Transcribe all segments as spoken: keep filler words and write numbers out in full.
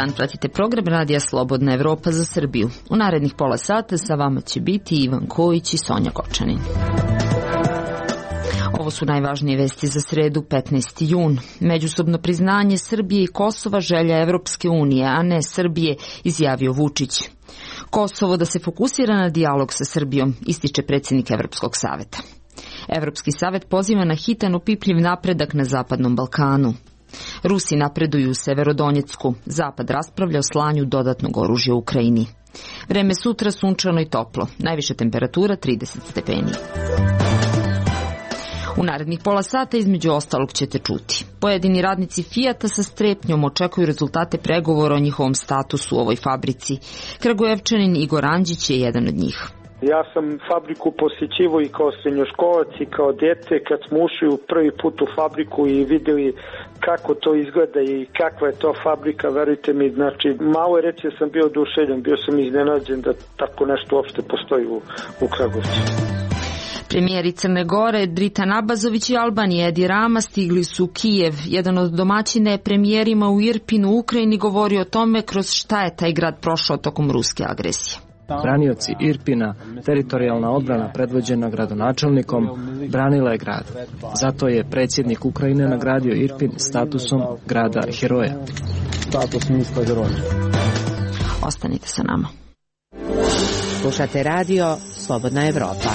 dan pratite program Radija Slobodna Evropa za Srbiju. U narednih pola sata sa vama će biti Ivan Kojić i Sonja Kočanin. Ovo su najvažnije vesti za sredu, petnaesti jun. Međusobno priznanje Srbije i Kosova želja Evropske unije, a ne Srbije, izjavio Vučić. Kosovo da se fokusira na dijalog sa Srbijom, ističe predsjednik Evropskog saveta. Evropski savet poziva na hitan opipljiv napredak na Zapadnom Balkanu. Rusi napreduju u Severodonjecku. Zapad raspravlja o slanju dodatnog oružja u Ukrajini. Vreme sutra sunčano i toplo. Najviša temperatura trideset stepeni. U narednih pola sata između ostalog ćete čuti. Pojedini radnici Fijata sa strepnjom očekuju rezultate pregovora o njihovom statusu u ovoj fabrici. Kragujevčanin Igor Anđić je jedan od njih. Ja sam fabriku posjećivao i kao srednjoškolac i kao dete kad smo ušli u prvi put u fabriku i vidjeli kako to izgleda i kakva je to fabrika, verujte mi, znači malo je reći da sam bio oduševljen, bio sam iznenađen da tako nešto uopšte postoji u, u Kragujevcu. Premijeri Crne Gore Dritan Abazović i Albanije Edi Rama stigli su u Kijev. Jedan od domaćina je premijerima u Irpinu u Ukrajini govorio o tome kroz šta je taj grad prošao tokom ruske agresije. Branioci Irpina, teritorijalna odbrana predvođena gradonačelnikom, branila je grad. Zato je predsjednik Ukrajine nagradio Irpin statusom grada heroja. Status mjesta heroja. Ostanite sa nama. Slušate radio Slobodna Evropa.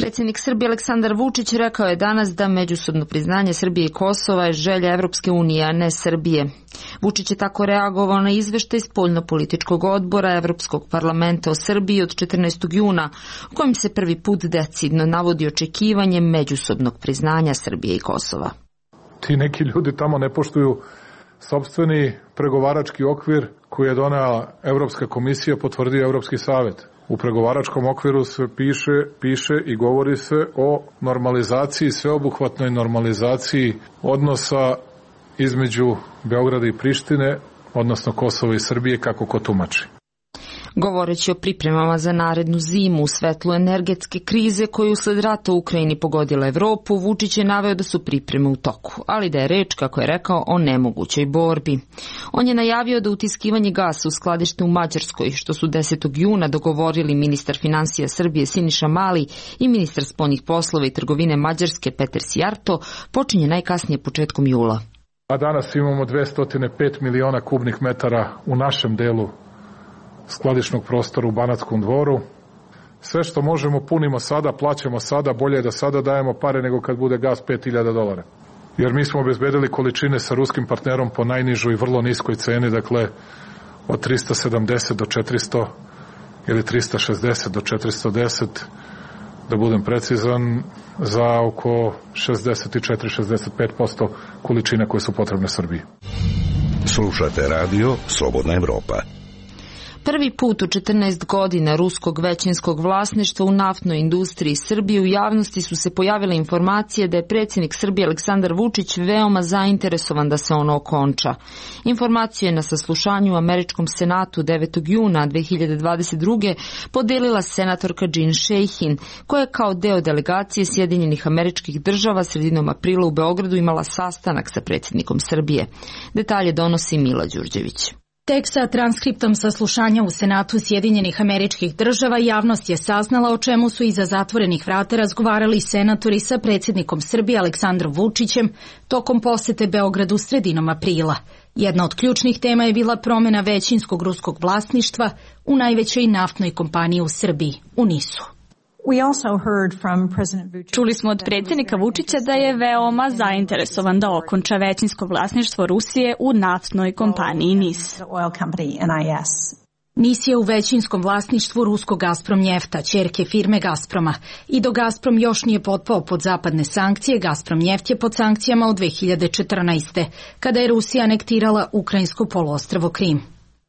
Predsjednik Srbije Aleksandar Vučić rekao je danas da međusobno priznanje Srbije i Kosova je želja Evropske unije, a ne Srbije. Vučić je tako reagovao na izveštaj spoljnopolitičkog odbora Evropskog parlamenta o Srbiji od četrnaestog juna, u kojem se prvi put decidno navodi očekivanje međusobnog priznanja Srbije i Kosova. Ti neki ljudi tamo ne poštuju sopstveni pregovarački okvir koji je donela Evropska komisija, potvrdio Evropski savet. U pregovaračkom okviru se piše, piše i govori se o normalizaciji, sveobuhvatnoj normalizaciji odnosa između Beograda i Prištine, odnosno Kosova i Srbije, kako ko tumači. Govoreći o pripremama za narednu zimu u svetlu energetske krize koju usled rata u Ukrajini pogodila Evropu, Vučić je naveo da su pripreme u toku, ali da je reč, kako je rekao, o nemogućoj borbi. On je najavio da utiskivanje gasa u skladište u Mađarskoj, što su desetog juna dogovorili ministar finansija Srbije Siniša Mali i ministar spoljnih poslova i trgovine Mađarske Peter Sijarto, počinje najkasnije početkom jula. A danas imamo dvesta pet miliona kubnih metara u našem delu skladišnog prostora u Banatskom dvoru. Sve što možemo punimo sada, plaćamo sada, bolje je da sada dajemo pare nego kad bude gas pet hiljada dolara. Jer mi smo obezbedili količine sa ruskim partnerom po najnižoj i vrlo niskoj ceni, dakle od trista sedamdeset do četiristo ili trista šezdeset do četiristo deset, da budem precizan, za oko šezdeset četiri do šezdeset pet posto količina koje su potrebne Srbiji. Slušate radio Slobodna Evropa. Prvi put u četrnaest godina ruskog većinskog vlasništva u naftnoj industriji Srbije u javnosti su se pojavile informacije da je predsjednik Srbije Aleksandar Vučić veoma zainteresovan da se ono okonča. Informaciju je na saslušanju u Američkom senatu devetog juna dve hiljade dvadeset druge podelila senatorka Jean Shaheen, koja je kao deo delegacije Sjedinjenih Američkih Država sredinom aprila u Beogradu imala sastanak sa predsjednikom Srbije. Detalje donosi Mila Đurđević. Tek sa transkriptom saslušanja u Senatu Sjedinjenih Američkih Država javnost je saznala o čemu su iza zatvorenih vrata razgovarali senatori sa predsjednikom Srbije Aleksandrom Vučićem tokom posete Beogradu sredinom aprila. Jedna od ključnih tema je bila promjena većinskog ruskog vlasništva u najvećoj naftnoj kompaniji u Srbiji, u NIS-u. Čuli smo od predsjednika Vučića da je veoma zainteresovan da okonča većinsko vlasništvo Rusije u naftnoj kompaniji NIS. NIS je u većinskom vlasništvu ruskog Gazprom Njefta, ćerke firme Gazproma. I dok Gazprom još nije potpao pod zapadne sankcije, Gazprom Njeft je pod sankcijama od dve hiljade četrnaeste. kada je Rusija anektirala ukrajinsko poluostrvo Krim.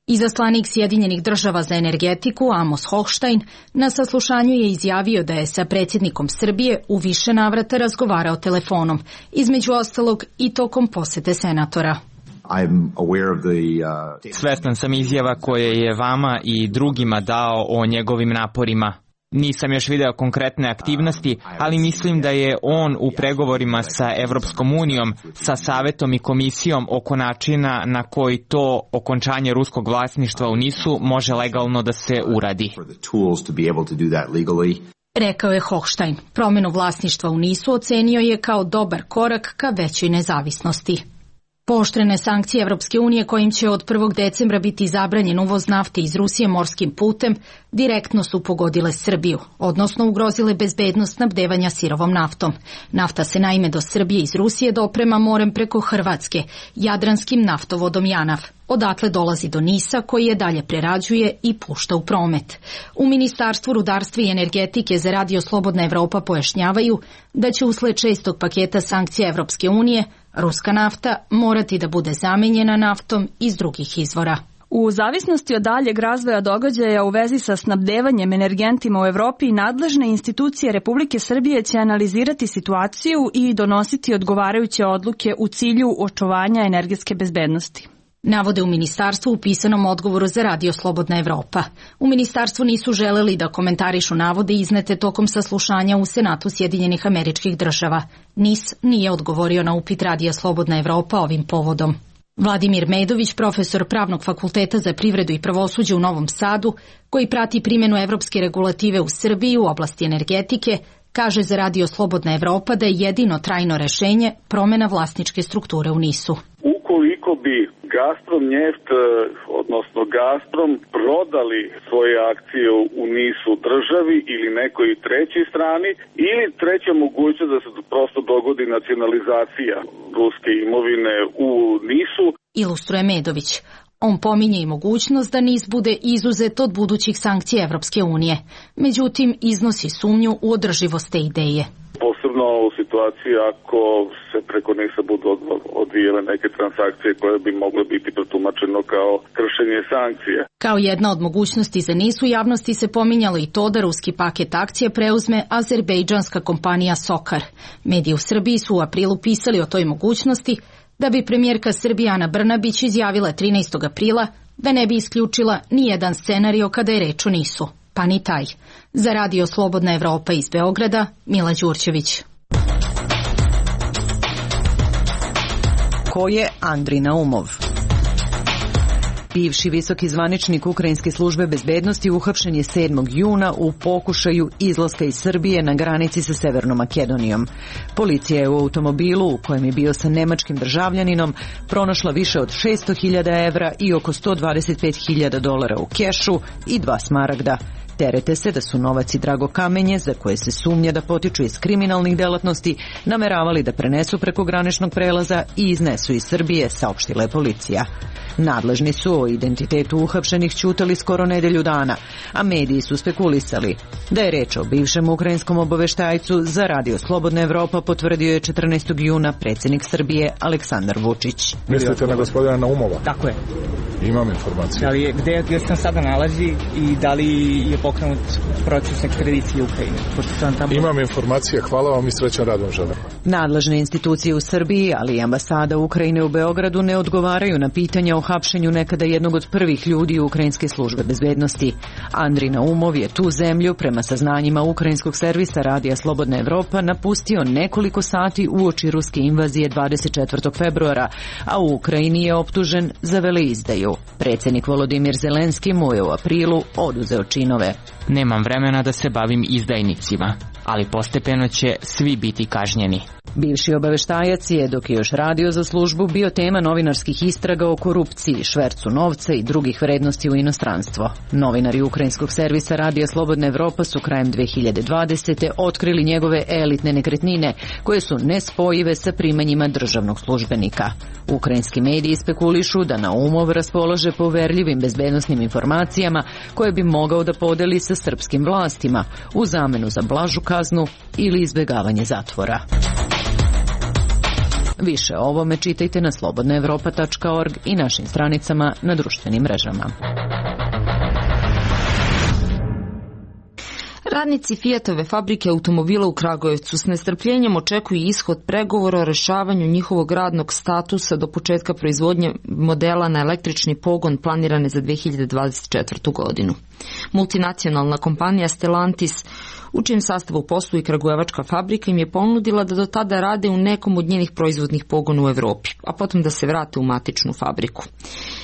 Izaslanik Sjedinjenih Država za energetiku Amos Hochstein na saslušanju je izjavio da je sa predsjednikom Srbije u više navrata razgovarao telefonom, između ostalog i tokom posete senatora. Svestan sam izjava koje je vama i drugima dao o njegovim naporima. Nisam još video konkretne aktivnosti, ali mislim da je on u pregovorima sa Evropskom unijom, sa Savetom i Komisijom oko načina na koji to okončanje ruskog vlasništva u Nisu može legalno da se uradi. Rekao je Hochstein. Promenu vlasništva u Nisu ocenio je kao dobar korak ka većoj nezavisnosti. Pooštrene sankcije Evropske unije kojim će od prvog decembra biti zabranjen uvoz nafte iz Rusije morskim putem direktno su pogodile Srbiju, odnosno ugrozile bezbednost snabdevanja sirovom naftom. Nafta se naime do Srbije iz Rusije doprema morem preko Hrvatske, jadranskim naftovodom Janaf. Odatle dolazi do Nisa koji je dalje prerađuje i pušta u promet. U Ministarstvu rudarstva i energetike za Radio Slobodna Evropa pojašnjavaju da će usled šestog paketa sankcija Evropske unije ruska nafta morati da bude zamenjena naftom iz drugih izvora. U zavisnosti od daljeg razvoja događaja u vezi sa snabdevanjem energentima u Evropi, nadležne institucije Republike Srbije će analizirati situaciju i donositi odgovarajuće odluke u cilju očuvanja energetske bezbednosti. Navode u ministarstvu u pisanom odgovoru za Radio Slobodna Evropa. U ministarstvu nisu želeli da komentarišu navode iznete tokom saslušanja u Senatu Sjedinjenih Američkih Država. N I S nije odgovorio na upit Radija Slobodna Evropa ovim povodom. Vladimir Medović, profesor Pravnog fakulteta za privredu i pravosuđe u Novom Sadu, koji prati primjenu evropske regulative u Srbiji u oblasti energetike, kaže za Radio Slobodna Evropa da je jedino trajno rešenje promena vlasničke strukture u Nisu. Ukoliko bi Gazprom Njeft, odnosno Gazprom, prodali svoje akcije u Nisu državi ili nekoj trećoj strani, ili treća mogućnost da se prosto dogodi nacionalizacija ruske imovine u Nisu. Ilustruje Medović. On pominje i mogućnost da Nis bude izuzet od budućih sankcija Evropske unije. Međutim, iznosi sumnju u održivost te ideje. Posebno u situaciji ako se preko Nisa budu odvijele neke transakcije koje bi mogle biti protumačeno kao kršenje sankcija. Kao jedna od mogućnosti za Nis u javnosti se pominjalo i to da ruski paket akcije preuzme azerbejdžanska kompanija Sokar. Mediji u Srbiji su u aprilu pisali o toj mogućnosti, da bi premijerka Srbije Ana Brnabić izjavila trinaestog aprila da ne bi isključila ni jedan scenario kada je reč o Nisu, pa ni taj. Za Radio Slobodna Evropa iz Beograda, Mila Đurđević. Ko je Andri Naumov? Bivši visoki zvaničnik Ukrajinske službe bezbednosti uhapšen je sedmog juna u pokušaju izlaska iz Srbije na granici sa Severnom Makedonijom. Policija je u automobilu u kojem je bio sa nemačkim državljaninom pronašla više od šesto hiljada evra i oko sto dvadeset pet hiljada dolara u kešu i dva smaragda. Terete se da su novac i drago kamenje, za koje se sumnja da potiču iz kriminalnih delatnosti, nameravali da prenesu preko graničnog prelaza i iznesu iz Srbije, saopštila je policija. Nadležni su o identitetu uhapšenih ćutali skoro nedelju dana, a mediji su spekulisali da je reč o bivšem ukrajinskom obaveštajcu. Za Radio Slobodna Evropa potvrdio je četrnaestog juna predsjednik Srbije Aleksandar Vučić. Mislite na gospodina Naumova? Tako je. Imam informacije. Da li je, gde, gde se tam sada nalazi i da li je pokrenut proces ekstradicije Ukrajine? Tamo... Imam informacije, hvala vam i srećan rad vam želim. Nadležne institucije u Srbiji, ali i ambasada Ukrajine u Beogradu ne odgovaraju na pitanja o hapšenju nekada jednog od prvih ljudi Ukrajinske službe bezbednosti. Andri Naumov je tu zemlju, prema saznanjima ukrajinskog servisa Radija Slobodna Evropa, napustio nekoliko sati uoči ruske invazije dvadeset četvrtog februara, a u Ukrajini je optužen za veleizdaju. Predsjednik Volodimir Zelenski mu je u aprilu oduzeo činove. Nemam vremena da se bavim izdajnicima, ali postepeno će svi biti kažnjeni. Bivši obaveštajac je, dok je još radio za službu, bio tema novinarskih istraga o korupciji, švercu novca i drugih vrednosti u inostranstvo. Novinari ukrajinskog servisa Radija Slobodna Evropa su krajem dve hiljade dvadesete otkrili njegove elitne nekretnine, koje su nespojive sa primanjima državnog službenika. Ukrajinski mediji spekulišu da Naumov raspolaže poverljivim bezbednosnim informacijama koje bi mogao da podeli sa srpskim vlastima u zamenu za blažu kaznu ili izbjegavanje zatvora. Više o ovome čitajte na slobodna evropa tačka org i našim stranicama na društvenim mrežama. Radnici Fiatove fabrike automobila u Kragujevcu s nestrpljenjem očekuju ishod pregovora o rešavanju njihovog radnog statusa do početka proizvodnje modela na električni pogon planirane za dve hiljade dvadeset četvrtu. godinu. Multinacionalna kompanija Stellantis, u čijem sastavu posluje kragujevačka fabrika, im je ponudila da do tada rade u nekom od njenih proizvodnih pogona u Evropi, a potom da se vrate u matičnu fabriku.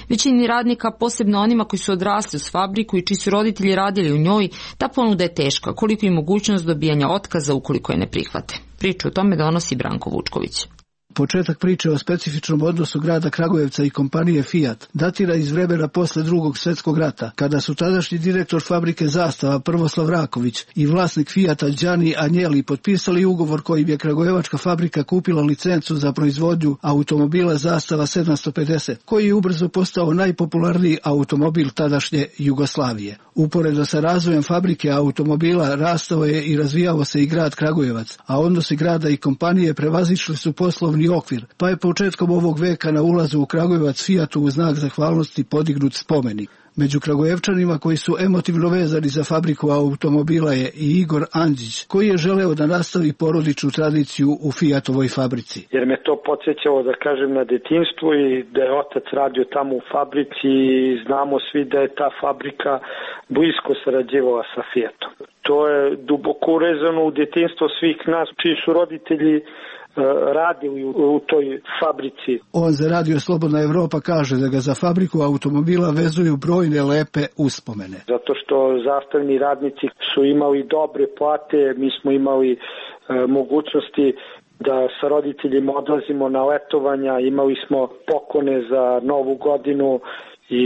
Većini radnika, posebno onima koji su odrasli uz fabriku i čiji su roditelji radili u njoj, ta ponuda je teška, koliko i mogućnost dobijanja otkaza ukoliko je ne prihvate. Priču o tome donosi Branko Vučković. Početak priče o specifičnom odnosu grada Kragujevca i kompanije Fiat datira iz vremena posle drugog svjetskog rata, kada su tadašnji direktor fabrike Zastava Prvoslav Raković i vlasnik Fiata Đani Anjeli potpisali ugovor kojim je kragujevačka fabrika kupila licencu za proizvodnju automobila Zastava sedamsto pedeset, koji je ubrzo postao najpopularniji automobil tadašnje Jugoslavije. Uporedo sa razvojem fabrike automobila rastao je i razvijao se i grad Kragujevac, a odnosi grada i kompanije prevazišli su poslovni okvir, pa je početkom ovog veka na ulazu u Kragujevac Fiatu u znak zahvalnosti podignut spomenik. Među Kragujevčanima koji su emotivno vezani za fabriku automobila je i Igor Andžić, koji je želeo da nastavi porodičnu tradiciju u Fiatovoj fabrici. Jer me to podsjećalo, da kažem, na detinjstvo i da je otac radio tamo u fabrici i znamo svi da je ta fabrika blisko sarađivala sa Fiatom. To je duboko urezano u detinjstvo svih nas, čiji su roditelji radili u toj fabrici. On za Radio Slobodna Evropa kaže da ga za fabriku automobila vezuju brojne lepe uspomene. Zato što zastavni radnici su imali dobre plate, mi smo imali e, mogućnosti da sa roditeljima odlazimo na letovanja, imali smo poklone za Novu godinu i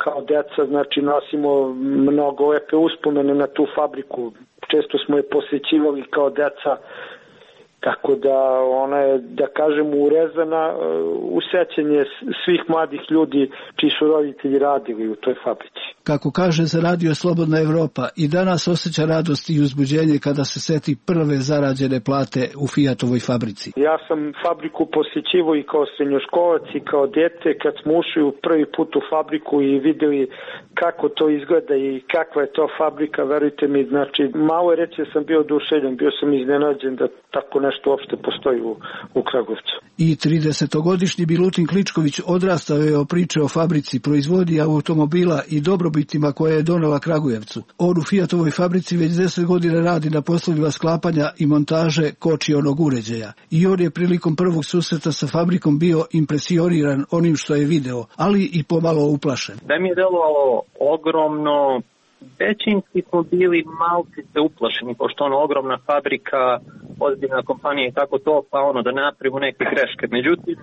kao deca, znači, nosimo mnogo lepe uspomene na tu fabriku. Često smo je posjećivali kao deca. Tako da ona je, da kažem, urezana u sećanje svih mladih ljudi čiji su roditelji radili u toj fabrici. Kako kaže za Radio Slobodna Evropa, i danas osjeća radost i uzbuđenje kada se seti prve zarađene plate u Fiatovoj fabrici. Ja sam fabriku posjećivao i kao srednjoškolac i kao dete kad smo ušli u prvi put u fabriku i videli kako to izgleda i kakva je to fabrika, verujte mi, znači malo je reći sam bio oduševljen, bio sam iznenađen da tako nešto uopšte postoji u, u Kragujevcu. I tridesetogodišnji Milutin Kličković odrastao je o priče o fabrici, proizvodnji automobila i dobrobitima koje je donela Kragujevcu. On u Fiatovoj fabrici već deset godina radi na poslovima sklapanja i montaže kočionog uređaja. I on je prilikom prvog susreta sa fabrikom bio impresioniran onim što je video, ali i pomalo uplašen. Da mi je delovalo ogromno, većinski smo bili malcice uplašeni, pošto ono ogromna fabrika, ozbiljna kompanija i tako to, pa ono da napravimo neke greške. Međutim,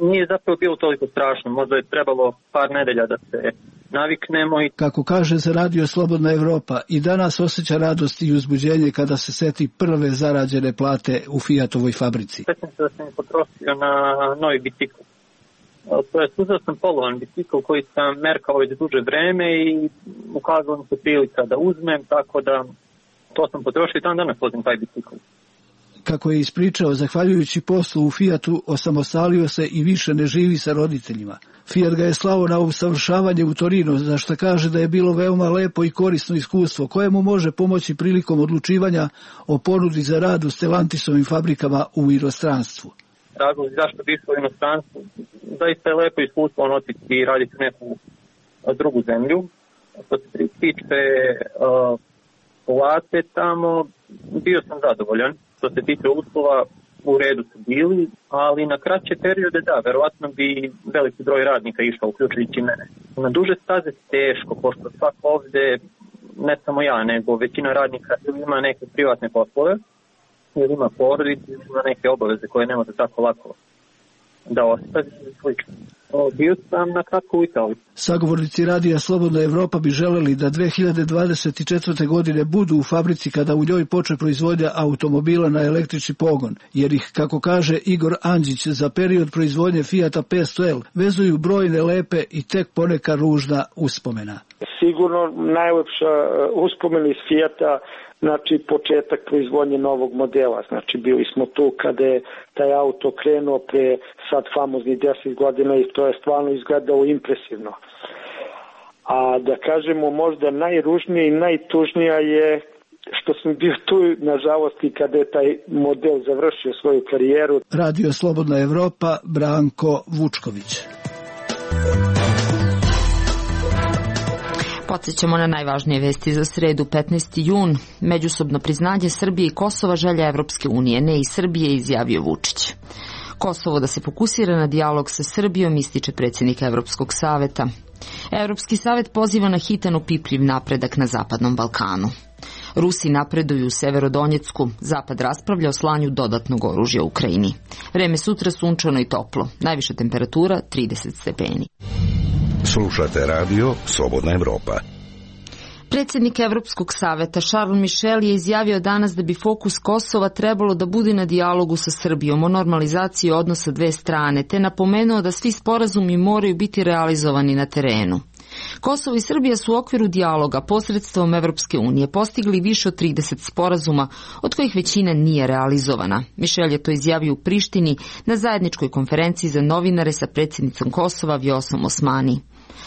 nije zapravo bilo toliko strašno, možda je trebalo par nedelja da se naviknemo. I... Kako kaže za Radio Slobodna Evropa, i danas osjeća radost i uzbuđenje kada se seti prve zarađene plate u Fiatovoj fabrici. Svetim se da sam potrošio na novi bicikl. To je uzeo sam polovan bicikl koji sam merkao već duže vreme i ukazala mi se prilika da uzmem, tako da to sam potrošio i dan danas vozim taj bicikl. Kako je ispričao, zahvaljujući poslu u Fiatu, osamostalio se i više ne živi sa roditeljima. Fiat ga je slao na usavršavanje u Torino, za što kaže da je bilo veoma lepo i korisno iskustvo, koje mu može pomoći prilikom odlučivanja o ponudi za rad u Stellantisovim fabrikama u inostranstvu. Razlog zašto bi išao u inostranstvu, zaista je lepo iskustvo on otići i raditi u neku drugu zemlju. Što se tiče uh, plate tamo, bio sam zadovoljan. Što se tiče uslova, u redu su bili, ali na kraće periode da, verovatno bi veliki broj radnika išao, uključujući mene. Na duže staze teško, pošto svak ovde, ne samo ja, nego većina radnika ima neke privatne poslove, ili ima porodicu, ili ima neke obaveze koje ne može tako lako da ostavi i slično. Bio sam na kratko u Italiji. Sagovornici Radija Slobodna Evropa bi želeli da dve hiljade dvadeset četvrte. godine budu u fabrici kada u njoj počne proizvodnja automobila na električni pogon, jer ih, kako kaže Igor Andžić, za period proizvodnje Fiata petsto L vezuju brojne lepe i tek poneka ružna uspomena. Sigurno najlepša uspomena iz Fiata, znači početak proizvodnje novog modela. Znači bili smo tu kada je taj auto krenuo pre sad famoznih deset godina i to je stvarno izgledalo impresivno. A da kažemo možda najružnije i najtužnija je što sam bio tu, nažalost, i kada je taj model završio svoju karijeru. Radio Slobodna Evropa, Branko Vučković. Podsjećamo na najvažnije vesti za sredu, petnaesti jun. Međusobno priznanje Srbije i Kosova želja Evropske unije, ne i Srbije, izjavio Vučić. Kosovo da se fokusira na dijalog sa Srbijom, ističe predsjednik Evropskog saveta. Evropski savet poziva na hitan opipljiv napredak na Zapadnom Balkanu. Rusi napreduju u Severodonjecku, Zapad raspravlja o slanju dodatnog oružja u Ukrajini. Vreme sutra sunčano i toplo, najviša temperatura trideset stepeni. Slušate radio Slobodna Evropa. Predsjednik Evropskog saveta Charles Michel je izjavio danas da bi fokus Kosova trebalo da bude na dijalogu sa Srbijom o normalizaciji odnosa dve strane, te napomenuo da svi sporazumi moraju biti realizovani na terenu. Kosovo i Srbija su u okviru dijaloga posredstvom Evropske unije postigli više od trideset sporazuma, od kojih većina nije realizovana. Mišel je to izjavio u Prištini na zajedničkoj konferenciji za novinare sa predsjednicom Kosova Vjosom Osmani.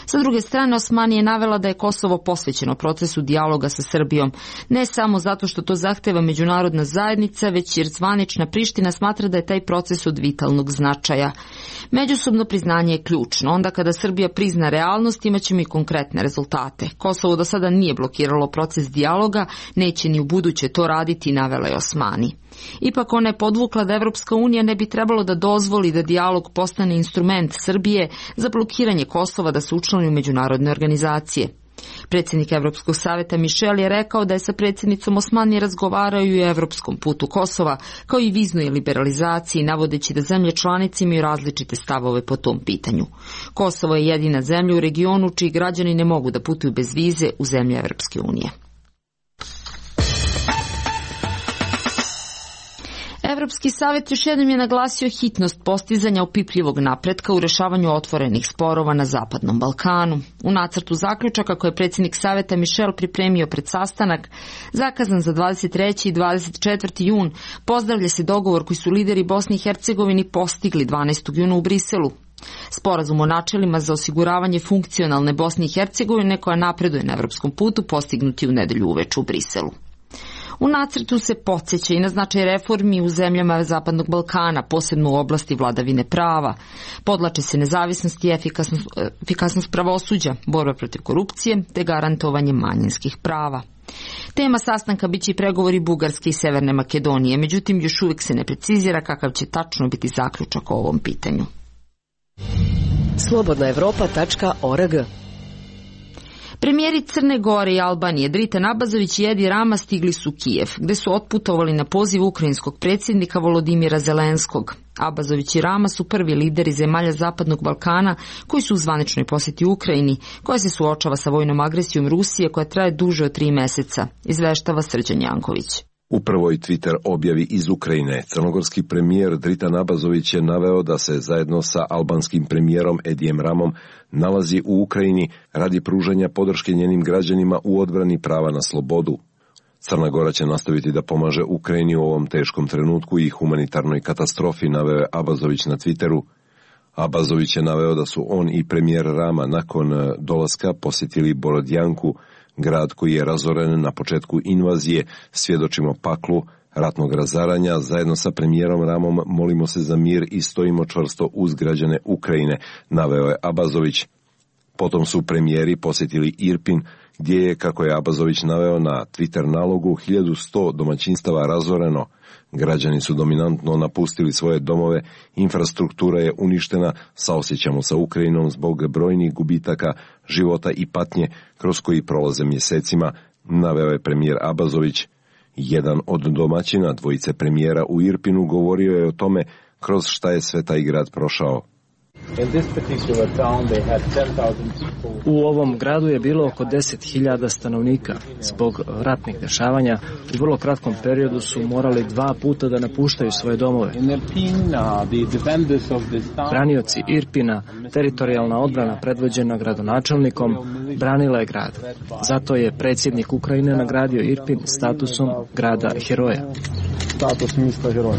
Sa druge strane, Osmani je navela da je Kosovo posvećeno procesu dijaloga sa Srbijom, ne samo zato što to zahteva međunarodna zajednica, već jer zvanična Priština smatra da je taj proces od vitalnog značaja. Međusobno priznanje je ključno. Onda kada Srbija prizna realnost, imaćemo i konkretne rezultate. Kosovo do sada nije blokiralo proces dijaloga, neće ni u buduće to raditi, navela je Osmani. Ipak ona je podvukla da Evropska unija ne bi trebalo da dozvoli da dijalog postane instrument Srbije za blokiranje Kosova da se učlani u međunarodne organizacije. Predsjednik Evropskog saveta Mišel je rekao da je sa predsjednicom Osmani razgovarao i o evropskom putu Kosova, kao i viznoj liberalizaciji, navodeći da zemlje članice imaju različite stavove po tom pitanju. Kosovo je jedina zemlja u regionu čiji građani ne mogu da putuju bez vize u zemlje Evropske unije. Evropski savjet još jednom je naglasio hitnost postizanja opipljivog napretka u rešavanju otvorenih sporova na Zapadnom Balkanu. U nacrtu zaključaka koje je predsjednik saveta Mišel pripremio pred sastanak, zakazan za dvadeset treći i dvadeset četvrti jun, pozdravlja se dogovor koji su lideri Bosne i Hercegovine postigli dvanaestog juna u Briselu. Sporazum o načelima za osiguravanje funkcionalne Bosne i Hercegovine koja napreduje na evropskom putu postignuti u nedelju uveče u Briselu. U nacrtu se podsjeća i na značaj reformi u zemljama Zapadnog Balkana, posebno u oblasti vladavine prava. Podlače se nezavisnost i efikasnost, efikasnost pravosuđa, borba protiv korupcije te garantovanje manjinskih prava. Tema sastanka biće i pregovori Bugarske i Severne Makedonije, međutim još uvijek se ne precizira kakav će tačno biti zaključak o ovom pitanju. slobodna evropa tačka org. Premijeri Crne Gore i Albanije Dritan Abazović i Edi Rama stigli su u Kijev, gde su otputovali na poziv ukrajinskog predsjednika Volodimira Zelenskog. Abazović i Rama su prvi lideri zemalja Zapadnog Balkana koji su u zvaničnoj posjeti Ukrajini, koja se suočava sa vojnom agresijom Rusije koja traje duže od tri meseca, izveštava Srđan Janković. U prvoj Twitter objavi iz Ukrajine, crnogorski premijer Dritan Abazović je naveo da se zajedno sa albanskim premijerom Edijem Ramom nalazi u Ukrajini radi pružanja podrške njenim građanima u odbrani prava na slobodu. Crna Gora će nastaviti da pomaže Ukrajini u ovom teškom trenutku i humanitarnoj katastrofi, naveo je Abazović na Twitteru. Abazović je naveo da su on i premijer Rama nakon dolaska posjetili Borodjanku, grad koji je razoren na početku invazije. Svjedočimo paklu ratnog razaranja. Zajedno sa premijerom Ramom molimo se za mir i stojimo čvrsto uz građane Ukrajine, naveo je Abazović. Potom su premijeri posjetili Irpin, gdje je, kako je Abazović naveo na Twitter nalogu, hiljadu sto domaćinstava razoreno. Građani su dominantno napustili svoje domove, infrastruktura je uništena, saosjećamo sa Ukrajinom zbog brojnih gubitaka života i patnje kroz koji prolaze mjesecima, naveo je premijer Abazović. Jedan od domaćina dvojice premijera u Irpinu govorio je o tome kroz šta je sve taj grad prošao. U ovom gradu je bilo oko deset hiljada stanovnika. Zbog ratnih dešavanja u vrlo kratkom periodu su morali dva puta da napuštaju svoje domove. Branioci Irpina, teritorijalna odbrana predvođena gradonačelnikom, branila je grad. Zato je predsjednik Ukrajine nagradio Irpin statusom grada heroja. Status mista heroja.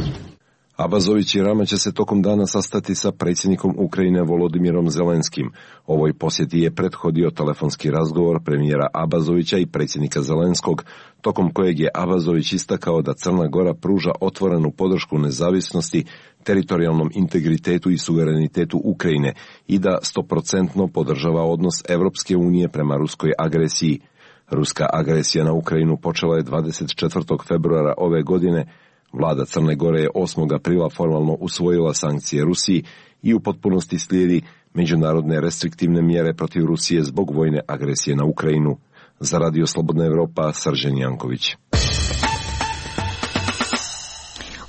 Abazović i Rama će se tokom dana sastati sa predsjednikom Ukrajine Volodimirom Zelenskim. Ovoj posjeti je prethodio telefonski razgovor premijera Abazovića i predsjednika Zelenskog, tokom kojeg je Abazović istakao da Crna Gora pruža otvorenu podršku nezavisnosti, teritorijalnom integritetu i suverenitetu Ukrajine i da stoprocentno podržava odnos Evropske unije prema ruskoj agresiji. Ruska agresija na Ukrajinu počela je dvadeset četvrtog februara ove godine. Vlada Crne Gore je osmog aprila formalno usvojila sankcije Rusiji i u potpunosti slijedi međunarodne restriktivne mjere protiv Rusije zbog vojne agresije na Ukrajinu. Za Radio Slobodna Evropa, Srđan Janković.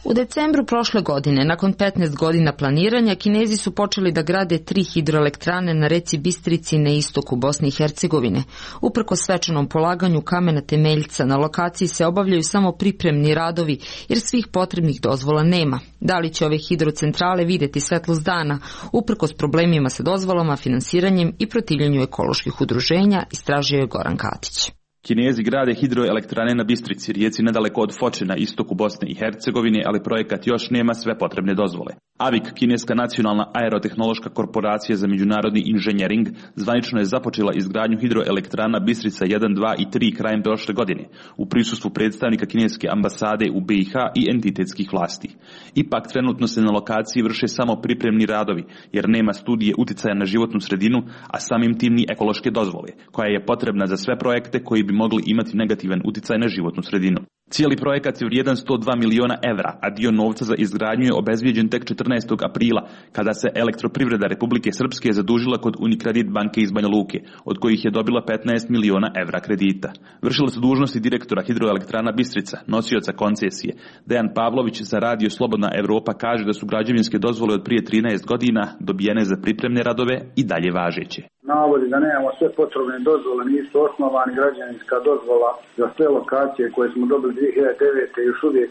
U decembru prošle godine, nakon petnaest godina planiranja, Kinezi su počeli da grade tri hidroelektrane na reci Bistrici na istoku Bosne i Hercegovine. Uprko svečanom polaganju kamena temeljca, na lokaciji se obavljaju samo pripremni radovi, jer svih potrebnih dozvola nema. Da li će ove hidrocentrale vidjeti svetlost dana, uprkos problemima sa dozvolama, finansiranjem i protivljenju ekoloških udruženja, istražio je Goran Katić. Kinezi grade hidroelektrane na Bistrici, rijeci nedaleko od Foče na istoku Bosne i Hercegovine, ali projekat još nema sve potrebne dozvole. A V I K, kineska nacionalna aerotehnološka korporacija za međunarodni inženjering, zvanično je započela izgradnju hidroelektrana Bistrica jedan, dva i tri krajem prošle godine, u prisustvu predstavnika kineske ambasade u B i H i entitetskih vlasti. Ipak trenutno se na lokaciji vrše samo pripremni radovi, jer nema studije uticaja na životnu sredinu, a samim tim ni ekološke dozvole, koja je potrebna za sve projekte koji bi mogli imati negativan uticaj na životnu sredinu. Cijeli projekat je vrijedan sto dva miliona evra, a dio novca za izgradnju je obezbijeđen tek četrnaestog aprila, kada se Elektroprivreda Republike Srpske zadužila kod Unikredit banke iz Banja Luke, od kojih je dobila petnaest miliona evra kredita. Vršila su dužnosti direktora hidroelektrana Bistrica, nosioca koncesije. Dejan Pavlović za Radio Slobodna Evropa kaže da su građevinske dozvole od prije trinaest godina dobijene za pripremne radove i dalje važeće. Navodi da nemamo sve potrebne dozvole, nisu osnovani, građevinska dozvola za sve lokacije koje smo dobili dvije hiljade devete još uvijek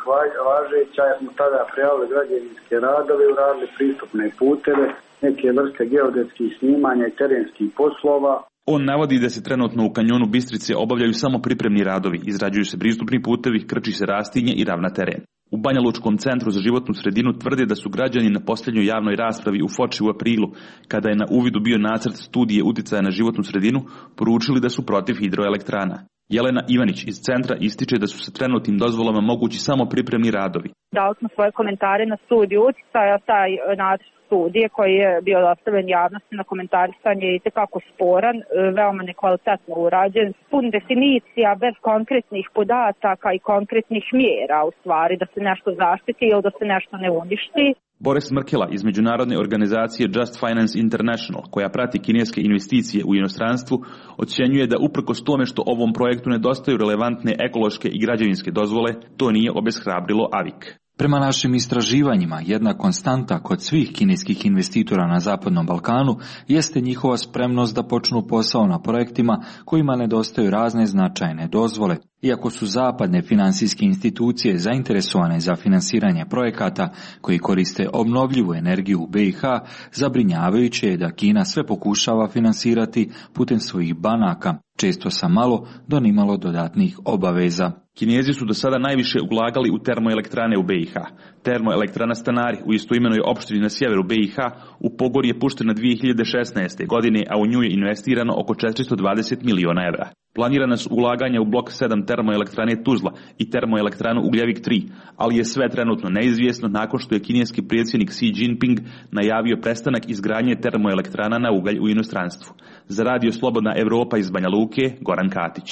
važeća, jer smo tada prijavili građevinske radove, uradili pristupne puteve, neke vrste geodetskih snimanja i terenskih poslova. On navodi da se trenutno u kanjonu Bistrice obavljaju samo pripremni radovi, izrađuju se pristupni putevi, krči se rastinje i ravna teren. U Banja Lučkom centru za životnu sredinu tvrde da su građani na posljednjoj javnoj raspravi u Foči u aprilu, kada je na uvidu bio nacrt studije uticaja na životnu sredinu, poručili da su protiv hidroelektrana. Jelena Ivanić iz centra ističe da su sa trenutnim dozvolama mogući samo pripremni radovi. Dali smo svoje komentare na studiju uticaja, taj nacrt studije koji je bio dostavljen javnosti na komentarisanje je itekako sporan, veoma nekvalitetno urađen, pun definicija bez konkretnih podataka i konkretnih mjera, u stvari da se nešto zaštiti ili da se nešto ne uništi. Boris Mrkela iz međunarodne organizacije Just Finance International, koja prati kineske investicije u inostranstvu, ocjenjuje da uprkos tome što ovom projektu nedostaju relevantne ekološke i građevinske dozvole, to nije obeshrabrilo A V I K. Prema našim istraživanjima, jedna konstanta kod svih kineskih investitora na Zapadnom Balkanu jeste njihova spremnost da počnu posao na projektima kojima nedostaju razne značajne dozvole. Iako su zapadne finansijske institucije zainteresovane za finansiranje projekata koji koriste obnovljivu energiju u B i H, zabrinjavajuće je da Kina sve pokušava finansirati putem svojih banaka, često sa malo do nimalo dodatnih obaveza. Kinezi su do sada najviše ulagali u termoelektrane u B i H. Termoelektrana Stanari u istoimenoj opštini na sjeveru B i H u pogon je puštena dvije hiljade šesnaeste. godine, a u nju je investirano oko četiristo dvadeset miliona evra. Planirana su ulaganja u blok sedam termoelektrane Tuzla i termoelektranu Ugljevik tri, ali je sve trenutno neizvjesno nakon što je kineski predsjednik Xi Jinping najavio prestanak izgradnje termoelektrana na ugalj u inostranstvu. Za Radio Slobodna Evropa iz Banja Luke, Goran Katić.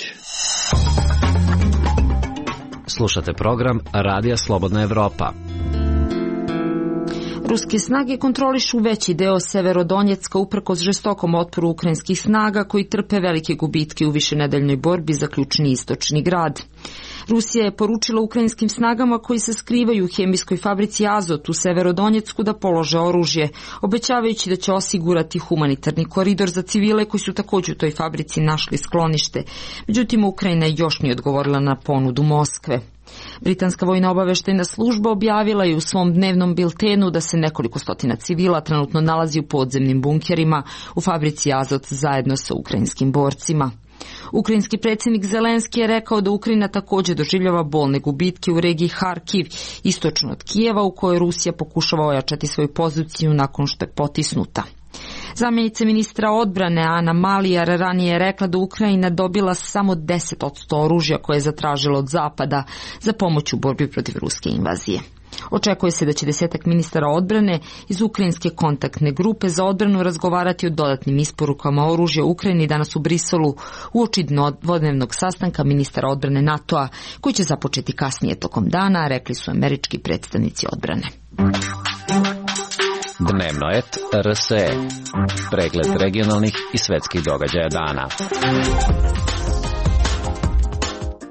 Slušate program Radija Slobodna Evropa. Ruske snage kontrolišu veći deo Severodonjecka uprkos žestokom otporu ukrajinskih snaga koji trpe velike gubitke u višenedeljnoj borbi za ključni istočni grad. Rusija je poručila ukrajinskim snagama koji se skrivaju u hemijskoj fabrici Azot u Severodonjecku da polože oružje, obećavajući da će osigurati humanitarni koridor za civile koji su također u toj fabrici našli sklonište. Međutim, Ukrajina još nije odgovorila na ponudu Moskve. Britanska vojna obaveštajna služba objavila je u svom dnevnom biltenu da se nekoliko stotina civila trenutno nalazi u podzemnim bunkerima u fabrici Azot zajedno sa ukrajinskim borcima. Ukrajinski predsjednik Zelenski je rekao da Ukrajina također doživljava bolne gubitke u regiji Harkiv, istočno od Kijeva, u kojoj Rusija pokušava ojačati svoju poziciju nakon što je potisnuta. Zamjenica ministra odbrane Ana Malijar ranije je rekla da Ukrajina dobila samo deset posto oružja koje je zatražila od Zapada za pomoć u borbi protiv ruske invazije. Očekuje se da će desetak ministara odbrane iz ukrajinske kontaktne grupe za odbranu razgovarati o dodatnim isporukama oružja Ukrajini danas u Briselu uoči dvodnevnog sastanka ministara odbrane NATO-a koji će započeti kasnije tokom dana, rekli su američki predstavnici odbrane. Dnevno et R S E. Pregled regionalnih i svetskih događaja dana.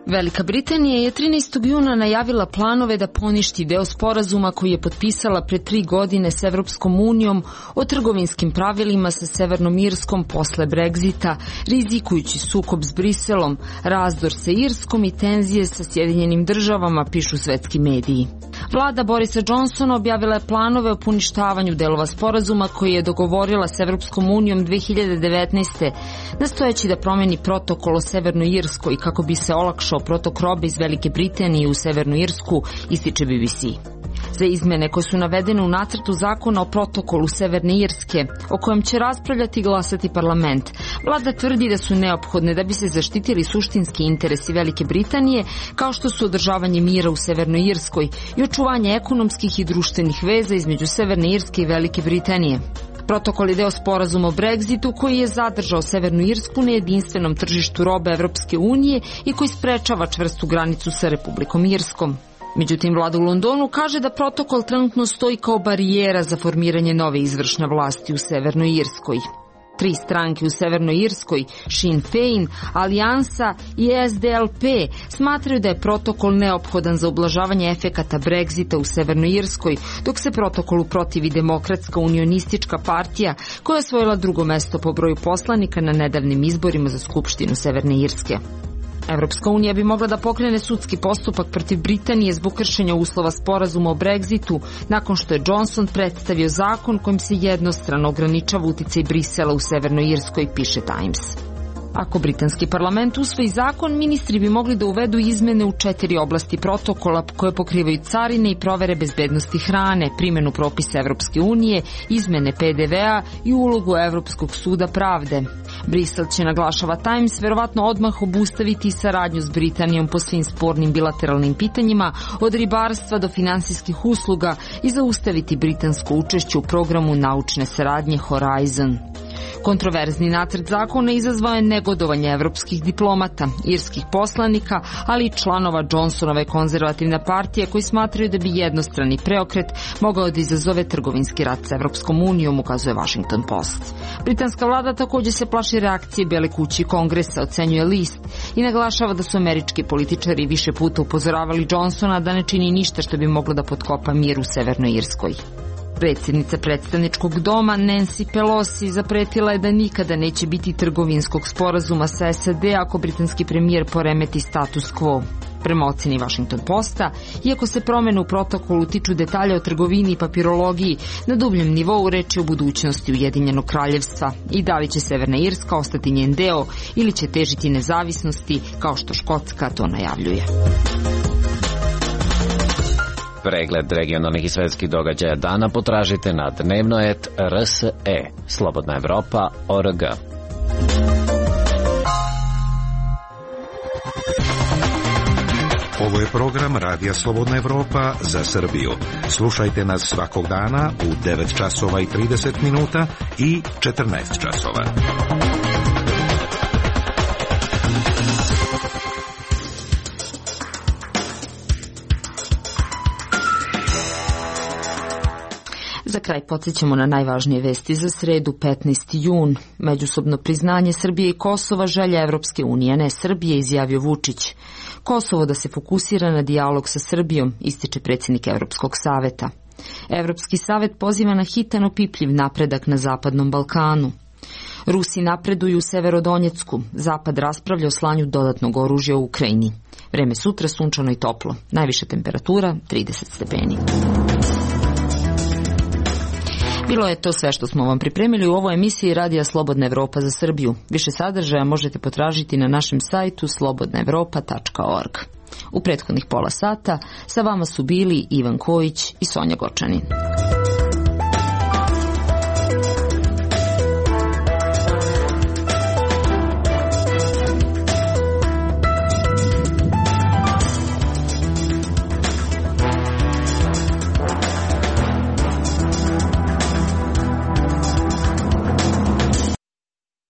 Velika Britanija je trinaestog juna najavila planove da poništi deo sporazuma koji je potpisala pre tri godine s Evropskom unijom o trgovinskim pravilima sa Severnom Irskom posle Brexita, rizikujući sukob s Briselom, razdor sa Irskom i tenzije sa Sjedinjenim državama, pišu svetski mediji. Vlada Borisa Johnsona objavila je planove o poništavanju delova sporazuma koji je dogovorila s Evropskom unijom dve hiljade devetnaeste. nastojeći da promeni protokol o Severnoj Irskoj kako bi se olakšao protok robe iz Velike Britanije u Severnu Irsku, ističe B B C. Za izmene koje su navedene u nacrtu zakona o protokolu Severne Irske, o kojem će raspravljati i glasati parlament, vlada tvrdi da su neophodne da bi se zaštitili suštinski interesi Velike Britanije, kao što su održavanje mira u Severnoj Irskoj i očuvanje ekonomskih i društvenih veza između Severne Irske i Velike Britanije. Protokol je deo sporazuma o Brexitu koji je zadržao Severnu Irsku na jedinstvenom tržištu robe Evropske unije i koji sprečava čvrstu granicu sa Republikom Irskom. Međutim, vlada u Londonu kaže da protokol trenutno stoji kao barijera za formiranje nove izvršne vlasti u Severnoj Irskoj. Tri stranke u Severnoj Irskoj, Sinn Féin, Alijansa i S D L P, smatraju da je protokol neophodan za ublažavanje efekata Brexita u Severnoj Irskoj, dok se protokolu protivi Demokratska unionistička partija, koja je osvojila drugo mesto po broju poslanika na nedavnim izborima za Skupštinu Severne Irske. Evropska unija bi mogla da pokrene sudski postupak protiv Britanije zbog kršenja uslova sporazuma o Brexitu, nakon što je Johnson predstavio zakon kojim se jednostrano ograničava uticaj Brisela u Severnoj Irskoj, piše Times. Ako britanski parlament usvoji zakon, ministri bi mogli da uvedu izmene u četiri oblasti protokola koje pokrivaju carine i provere bezbednosti hrane, primjenu propisa Evropske unije, izmene P D V-a i ulogu Evropskog suda pravde. Brisel će, naglašava Times, verovatno odmah obustaviti saradnju s Britanijom po svim spornim bilateralnim pitanjima, od ribarstva do finansijskih usluga, i zaustaviti britansko učešće u programu naučne saradnje Horizon. Kontroverzni nacrt zakona izazvao je negodovanje evropskih diplomata, irskih poslanika, ali i članova Johnsonove konzervativne partije koji smatraju da bi jednostrani preokret mogao da izazove trgovinski rat sa Evropskom unijom, ukazuje Washington Post. Britanska vlada također se plaši reakcije Bele kuće i Kongresa, ocenjuje list, i naglašava da su američki političari više puta upozoravali Johnsona da ne čini ništa što bi moglo da potkopa mir u Severnoj Irskoj. Predsjednica predstavničkog doma Nancy Pelosi zapretila je da nikada neće biti trgovinskog sporazuma sa S A D ako britanski premijer poremeti status quo. Prema oceni Washington Posta, iako se promjene u protokolu tiču detalja o trgovini i papirologiji, na dubljem nivou reč je o budućnosti Ujedinjenog kraljevstva i da li će Severna Irska ostati njen deo ili će težiti nezavisnosti kao što Škotska to najavljuje. Pregled regionalnih i svetskih događaja dana potražite na dnevno et R S E, Slobodna Evropa, O R G. Ovo je program Radija Slobodna Evropa za Srbiju. Slušajte nas svakog dana u devet časova i trideset minuta i četrnaest časova. Za kraj podsjećamo na najvažnije vesti za sredu, petnaesti jun. Međusobno priznanje Srbije i Kosova želja Evropske unije, ne Srbije, izjavio Vučić. Kosovo da se fokusira na dijalog sa Srbijom, ističe predsjednik Evropskog saveta. Evropski savet poziva na hitan opipljiv napredak na Zapadnom Balkanu. Rusi napreduju u Severodonjecku. Zapad raspravlja o slanju dodatnog oružja u Ukrajini. Vreme sutra sunčano i toplo. Najviša temperatura trideset stepeni. Bilo je to sve što smo vam pripremili u ovoj emisiji Radija Slobodna Evropa za Srbiju. Više sadržaja možete potražiti na našem sajtu slobodna evropa tačka org. U prethodnih pola sata sa vama su bili Ivan Kojić i Sonja Gočanin.